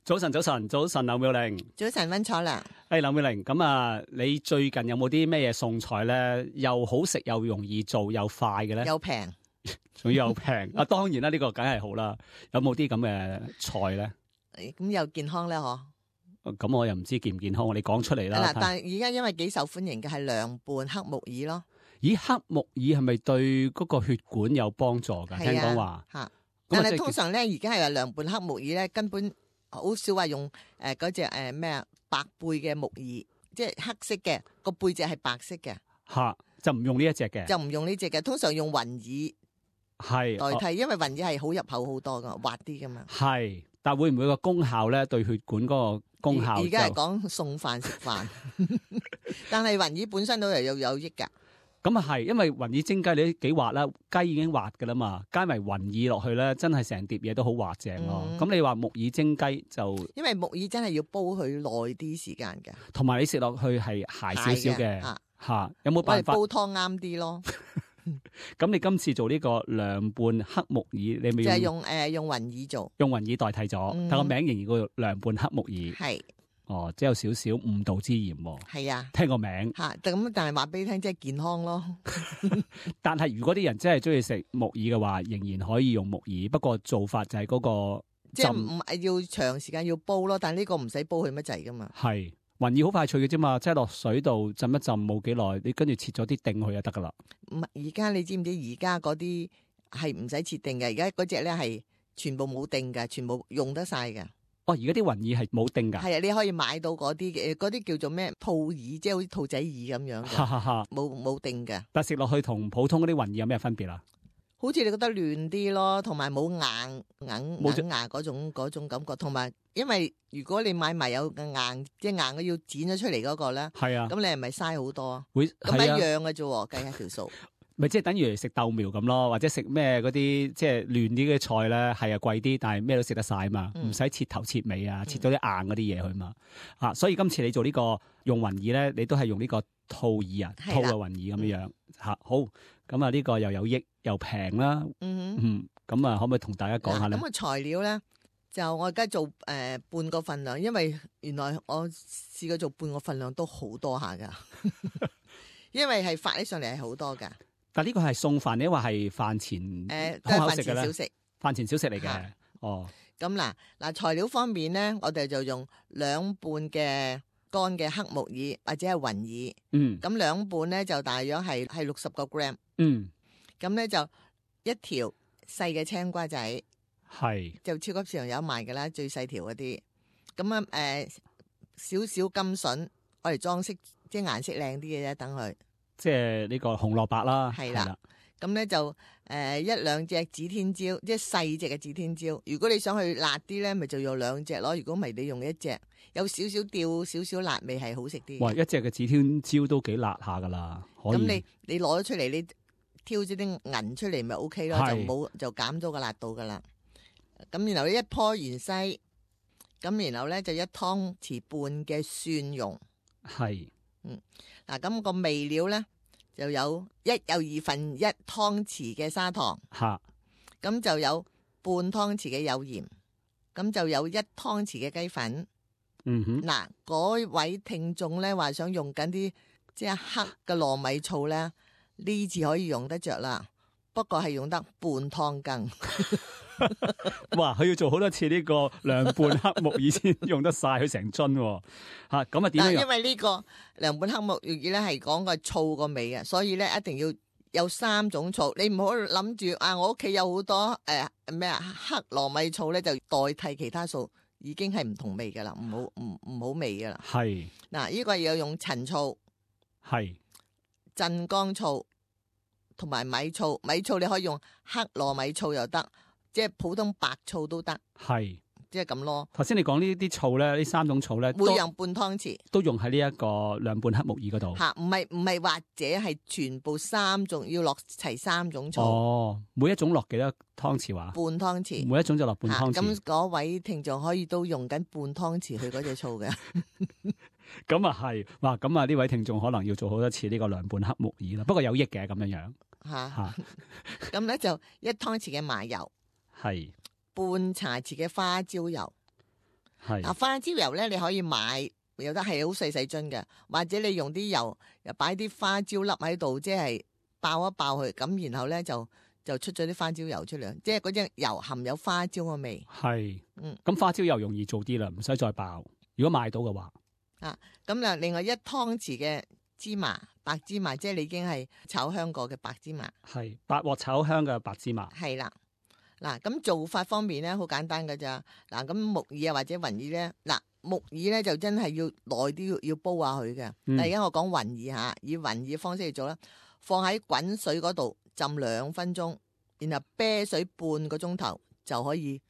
早晨，劉妙玲。早晨，溫楚良。劉妙玲，咁啊，你最近有冇啲咩嘢餸菜咧？又好食又容易做又快嘅咧？又平，仲要又平啊！當然啦，呢個梗係好啦。有冇啲咁嘅菜咧？咁又健康咧？嗬？咁我又唔知健唔健康，你講出嚟啦。嗱，但係而家因為幾受歡迎嘅係涼拌黑木耳咯。咦，黑木耳係咪對嗰個血管有幫助㗎？聽講話吓，但係通常咧，而家係話涼拌黑木耳咧，根本好少話用嗰隻咩啊白貝嘅木耳，即係黑色嘅個背脊係白色嘅。吓，就唔用呢一隻嘅，就唔用呢隻嘅，通常用雲耳係代替，因為雲耳係好入口好多噶，滑啲噶嘛。係，但會唔會個功效咧？對血管嗰個功效？而家係講送飯食飯，但係雲耳本身都係有益噶。咁啊係，因為雲耳蒸雞你都幾滑啦，雞已經滑噶啦嘛，加埋雲耳落去咧，真係成碟嘢都好滑正咯。咁你話木耳蒸雞就，因為木耳真係要煲佢耐啲時間嘅，同埋你食落去係鞋少少嘅吓，有冇辦法煲湯啱啲咯？咁你今次做呢個涼拌黑木耳，你咪就係用雲耳做，用雲耳代替咗，但個名仍然叫涼拌黑木耳。係。哦，即係有少少誤導之嫌。係啊，聽個名吓，咁但係話俾你聽，即係健康咯。但係如果啲人真係中意食木耳嘅話，仍然可以用木耳，不過做法就係嗰個即係唔係要長時間要煲咯，但係呢個唔使煲佢乜滯噶嘛。係雲耳好快脆嘅啫嘛，即係落水度浸一浸冇幾耐，你跟住切咗啲丁去就得噶啦。唔係而家你知唔知？而家嗰啲係唔使切丁嘅，而家嗰隻咧係全部冇丁嘅，全部用得晒嘅。哦，而家啲雲耳係冇丁噶，係啊，你可以買到嗰啲嘅，嗰啲叫做咩兔耳，即係好似兔仔耳咁樣嘅，冇丁嘅。但食落去同普通嗰啲雲耳有咩分別啊？好似你覺得嫩啲咯，同埋冇硬牙嗰種感覺，同埋因為如果你買埋有硬，即係硬嘅要剪咗出嚟嗰個咧，係啊，咁你係咪嘥好多？會咁一樣嘅啫，計下條數。咪即係等於食豆苗咁咯，或者食咩嗰啲即係嫩啲嘅菜咧，係啊貴啲，但係咩都食得晒嘛，唔使切頭切尾啊，切到啲硬嗰啲嘢去嘛。所以今次你做呢個用雲耳咧，你都係用呢個兔耳啊，兔嘅雲耳咁樣樣吓。好，咁啊呢個又有益又平啦。咁啊可唔可以同大家講下咧？咁材料咧就我而家做半個份量，因為原來我試過做半個份量都好多下噶，因為係發起上嚟係好多噶。但呢個係餸飯，你話係飯前都係飯前小食，飯前小食嚟嘅。哦，咁嗱材料方面咧，我哋就用兩半嘅乾嘅黑木耳或者係雲耳。咁兩半咧就大約係60個 gram。咁咧就一條細嘅青瓜仔，係就超級市場有賣噶啦，最細條嗰啲。咁少少甘筍，我嚟裝飾，即係顏色靚啲嘅啫，等佢。即係呢個紅蘿蔔啦，係啦，咁咧就一兩隻指天椒，即係細隻嘅指天椒。如果你想去辣啲咧，咪就用兩隻咯。如果唔係，你用一隻，有少少調少少辣味係好食啲。哇，一隻嘅指天椒都幾辣下噶啦，咁你攞咗出嚟，你挑咗啲銀出嚟咪 OK 咯，就減咗個辣度噶啦。咁然後一顆芫茜，咁然後咧就一湯匙半嘅蒜蓉。係。嗱，咁個味料咧就有2分1湯匙嘅砂糖，咁就有半湯匙嘅有鹽，咁就有1湯匙嘅雞粉。嗱，嗰位聽眾咧話想用緊啲即係黑嘅糯米醋咧，呢次可以用得着啦，不過係用得半湯羹。哇！佢要做好多次呢個涼拌黑木耳先用得晒佢成樽吓，咁啊點樣？因為呢個涼拌黑木耳咧係講個醋個味嘅，所以咧一定要有3種醋。你唔好諗住我屋企有好多咩黑糯米醋咧，就代替其他醋，已經係唔同味噶啦，唔好味噶啦。係嗱，呢個要用陳醋，係鎮江醋同埋米醋。米醋你可以用黑糯米醋又得。即係普通白醋都得，係即係咁咯。頭先你講呢啲醋咧，呢3種醋咧，每樣半湯匙，都用喺呢一個涼拌黑木耳嗰度。吓，唔係或者係全部3種要落齊3種醋。哦，每一種落幾多湯匙話？半湯匙，每一種就落半湯匙。咁嗰位聽眾可以都用緊半湯匙去嗰隻醋嘅。咁啊係，哇！咁啊呢位聽眾可能要做好多次呢個涼拌黑木耳啦。不過有益嘅咁樣樣。吓，咁咧就1湯匙嘅麻油。係半茶匙嘅花椒油，係嗱，花椒油咧，你可以買，有得係好細細樽嘅，或者你用啲油又擺啲花椒粒喺度，即係爆一爆佢，咁然後咧就出咗啲花椒油出嚟，即係嗰隻油含有花椒嘅味。係，咁花椒油容易做啲啦，唔使再爆。如果買到嘅話，咁啊，另外1湯匙嘅芝麻，白芝麻，即係你已經係炒香過嘅白芝麻。係白鑊炒香嘅白芝麻。係啦，嗱，咁做法方面咧，好簡單㗎咋。嗱，咁木耳啊或者雲耳咧，嗱，木耳咧就真係要耐啲要煲下佢嘅。但而家我講雲耳嚇，以雲耳方式嚟做啦，放喺滾水嗰度浸2分鐘，然後啤水半個鐘頭就可以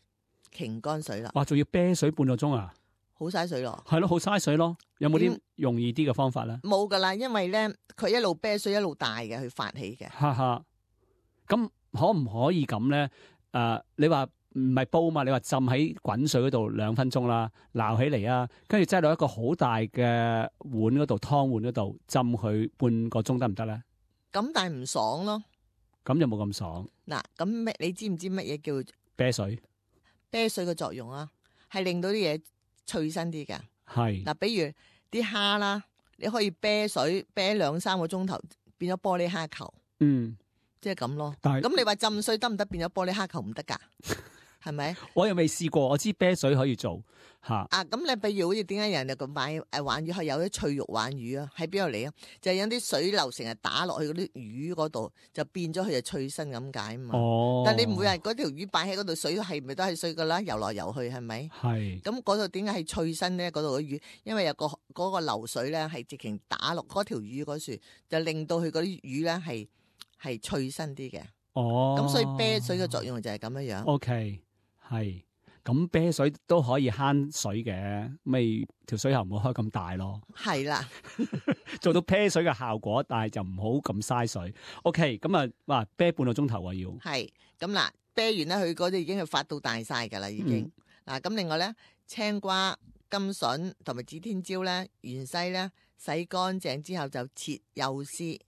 擎乾水啦。哇，仲要啤水半個鐘啊！好嘥水咯。係咯，好嘥水咯。有冇啲容易啲嘅方法咧？冇噶啦，因為咧佢一路啤水一路大嘅，佢發起嘅。哈哈，咁可唔可以咁咧？你話唔係煲嘛？你話浸喺滾水嗰度2分鐘啦，撈起嚟啊，跟住擠落一個好大嘅碗嗰度，湯碗嗰度浸佢半個鐘得唔得咧？咁但係唔爽咯。咁就冇咁爽。嗱，咁你知唔知乜嘢叫啤水？啤水嘅作用啊，係令到啲嘢脆身啲嘅。係嗱，比如啲蝦啦，你可以啤水啤2-3個鐘頭，變咗玻璃蝦球。即係咁咯。咁你話浸水得唔得？變咗玻璃蝦球唔得噶，係咪？我又未試過，我知啤水可以做吓。咁你比如好似點解人哋咁買鯇魚係有啲脆肉鯇魚啊？喺邊度嚟啊？就係有啲水流成日打落去嗰啲魚嗰度，就變咗佢就脆身咁解啊嘛。但係你唔會係嗰條魚擺喺嗰度，水係咪都係水噶啦？游來游去係咪？係。咁嗰度點解係脆身咧？嗰度嘅魚，因為有嗰個流水咧係直情打落嗰條魚嗰處，就令到佢嗰啲魚咧係脆身啲嘅。咁所以啤水嘅作用就係咁樣樣。OK， 係。咁啤水都可以慳水嘅，咪條水喉唔好開咁大咯。係啦，做到啤水嘅效果，但係就唔好咁嘥水。OK，咁啊，哇，啤半個鐘頭啊要。係，咁嗱，啤完咧，佢嗰啲已經係發到大晒噶啦，已經。嗱，咁另外咧，青瓜、甘筍同埋指天椒咧、芫茜咧，洗乾淨之後就切幼絲，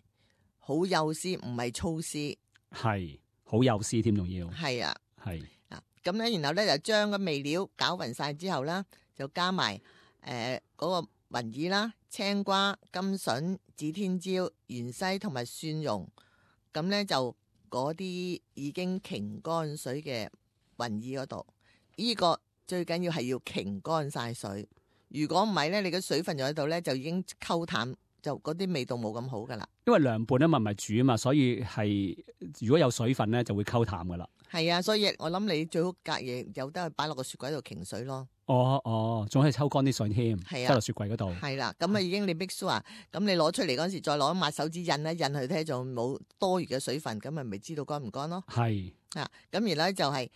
好幼絲，唔係粗絲。係，好幼絲添，仲要。係啊，係。咁咧，然後咧就將個味料攪勻晒之後啦，就加埋嗰個雲耳啦、青瓜、甘筍、指天椒、芫茜同埋蒜蓉。咁咧就嗰啲已經擎乾水嘅雲耳嗰度，呢個最緊要係要擎乾晒水。如果唔係咧，你嘅水分就喺度咧，就已經溝淡，就嗰啲味道冇咁好噶啦。因為涼拌啊嘛，唔係煮啊嘛，所以係如果有水分咧，就會溝淡噶啦。係啊，所以我諗你最好隔夜有得去擺落個雪櫃度擎水咯。哦，仲可以抽乾啲水添，擠落雪櫃嗰度。係啦，咁啊已經你 mix sure，咁你攞出嚟嗰陣時再攞抹手指印一印佢睇，仲冇多餘嘅水分，咁咪知道乾唔乾咯。係啊，咁然後咧就係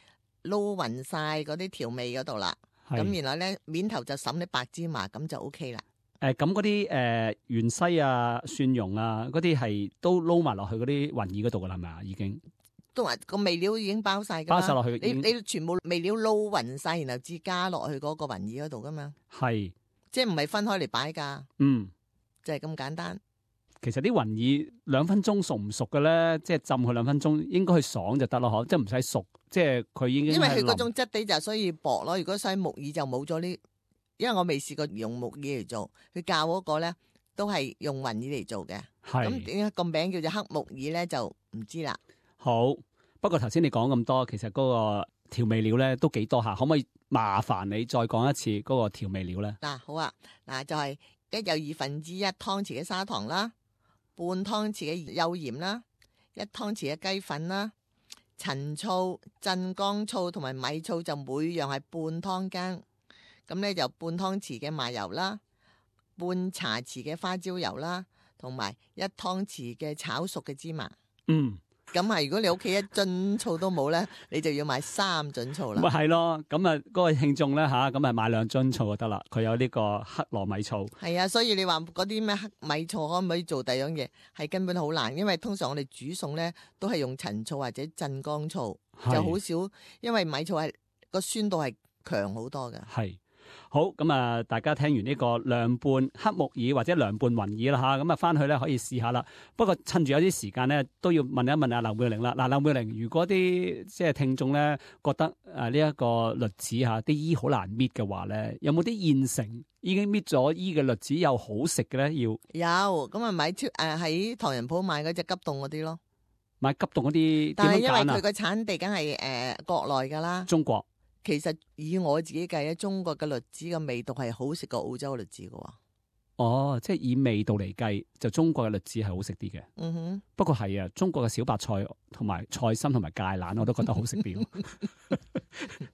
撈勻晒嗰啲調味嗰度啦。咁然後咧面頭就揼啲白芝麻，咁就 OK 啦。咁嗰啲芫茜啊、蒜蓉啊嗰啲係都撈埋落去嗰啲雲耳嗰度噶啦，係咪啊？已經。都話個味料已經包晒噶啦，包晒落去。你全部味料撈勻晒，然後至加落去嗰個雲耳嗰度噶嘛。係，即係唔係分開嚟擺噶。就係咁簡單。其實啲雲耳2分鐘熟唔熟嘅咧？即係浸佢2分鐘，應該去爽就得咯，嗬，即係唔使熟，即係佢已經。因為佢嗰種質地就所以薄咯。如果使木耳就冇咗呢，因為我未試過用木耳嚟做，佢教嗰個咧都係用雲耳嚟做嘅。係。咁點解個名叫做黑木耳咧？就唔知啦。好，不過頭先你講咁多，其實嗰個調味料咧都幾多下，可唔可以麻煩你再講一次嗰個調味料咧？嗱，好啊，嗱就係1/2湯匙嘅砂糖啦，半湯匙嘅幼鹽啦，1湯匙嘅雞粉啦，陳醋、鎮江醋同埋米醋就每樣係半湯羹，咁咧就半湯匙嘅麻油啦，半茶匙嘅花椒油啦，同埋1湯匙嘅炒熟嘅芝麻。咁啊！如果你屋企1樽醋都冇咧，你就要買3樽醋啦。咪係咯，咁啊，嗰個聽眾咧吓，咁啊買2樽醋就得啦。佢有呢個黑糯米醋。係啊，所以你話嗰啲咩黑米醋可唔可以做第二樣嘢？係根本好難，因為通常我哋煮餸咧都係用陳醋或者鎮江醋，就好少，因為米醋係個酸度係強好多嘅。係好，咁啊，大家聽完呢個涼拌黑木耳或者涼拌雲耳啦嚇，咁啊翻去咧可以試下啦。不過趁住有啲時間咧，都要問一問阿劉妙玲啦。嗱，劉妙玲，如果啲即係聽眾咧覺得呢一個栗子嚇啲衣好難搣嘅話咧，有冇啲現成已經搣咗衣嘅栗子又好食嘅咧？要有咁啊，買喺唐人鋪買嗰隻急凍嗰啲咯。買急凍嗰啲，但係因為點樣揀啊？佢個產地梗係國內㗎啦。中國。其實以我自己計咧，中國嘅栗子嘅味道係好食過澳洲嘅栗子嘅喎。哦，即係以味道嚟計，就中國嘅栗子係好食啲嘅。嗯哼，不過係啊，中國嘅小白菜同埋菜心同埋芥蘭，我都覺得好食啲。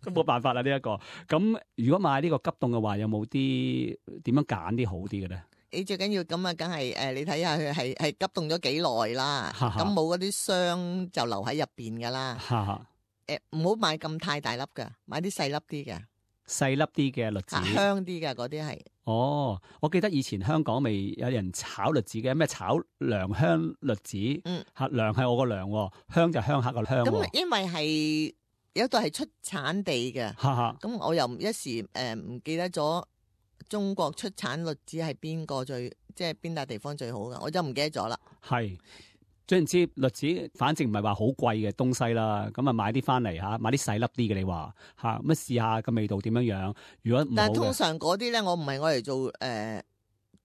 都冇辦法啦，呢一個。咁如果買呢個急凍嘅話，有冇啲點樣揀啲好啲嘅咧？你最緊要咁啊，梗係你睇下佢係急凍咗幾耐啦。咁冇嗰啲霜就留喺入邊㗎啦。唔好買咁太大粒㗎，買啲細粒啲嘅，細粒啲嘅栗子，香啲嘅嗰啲係。哦，我記得以前香港未有人炒栗子嘅，咩炒良香栗子？良係我個良，香就鄉下個鄉。咁因為係有一度係出產地嘅，咁我又一時唔記得咗中國出產栗子係邊個即係邊笪地方最好嘅，我就唔記得咗啦。係。總言之，栗子反正唔係話好貴嘅東西啦，咁啊買啲翻嚟嚇，買啲細粒啲嘅你話嚇，咁試下個味道點樣樣。如果唔好，但係通常嗰啲咧，我唔係我嚟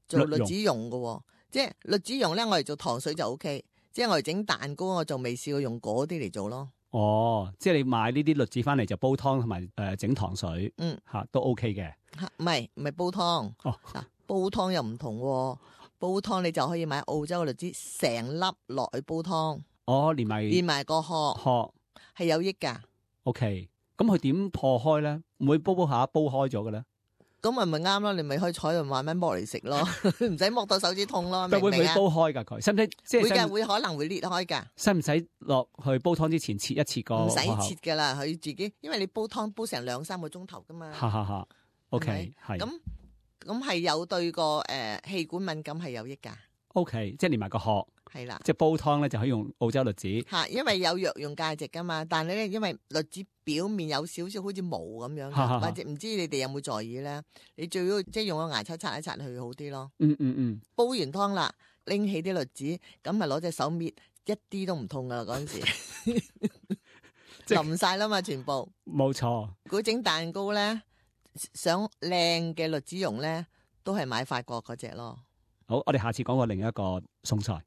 做栗子蓉嘅喎，即係栗子蓉咧，我嚟做糖水就 OK，即係我嚟整蛋糕，我就未試過用嗰啲嚟做咯。哦，即係你買呢啲栗子翻嚟就煲湯同埋整糖水，嚇都 OK 嘅。唔係煲湯，哦，煲湯又唔同喎。煲湯你就可以買澳洲嘅栗子，成粒落去煲湯。哦，連埋個殼係有益㗎。OK，咁佢點破開咧？唔會煲下煲開咗嘅咧？咁咪啱咯，你咪可以坐喺度慢慢剝嚟食咯，唔使剝到手指痛咯。會唔會煲開㗎佢？使唔使即係會可能會裂開㗎。使唔使落去煲湯之前切一切個？唔使切㗎啦，佢自己，因為你煲湯煲成2-3個鐘頭㗎嘛。OK， 係。咁係有對個氣管敏感係有益㗎。OK， 即係連埋個殼。係啦，即係煲湯咧就可以用澳洲栗子。因為有藥用價值㗎嘛。但係咧，因為栗子表面有少少好似毛咁樣，或者唔知你哋有冇在意咧？你最要即係用個牙刷刷一刷去好啲咯。煲完湯啦，拎起啲栗子，咁咪攞隻手搣，一啲都唔痛㗎啦嗰陣時。淋晒啦嘛，全部。冇錯。如果整蛋糕咧，想靚嘅栗子蓉咧，都係買法國嗰隻咯。好，我哋下次講過另一個餸菜。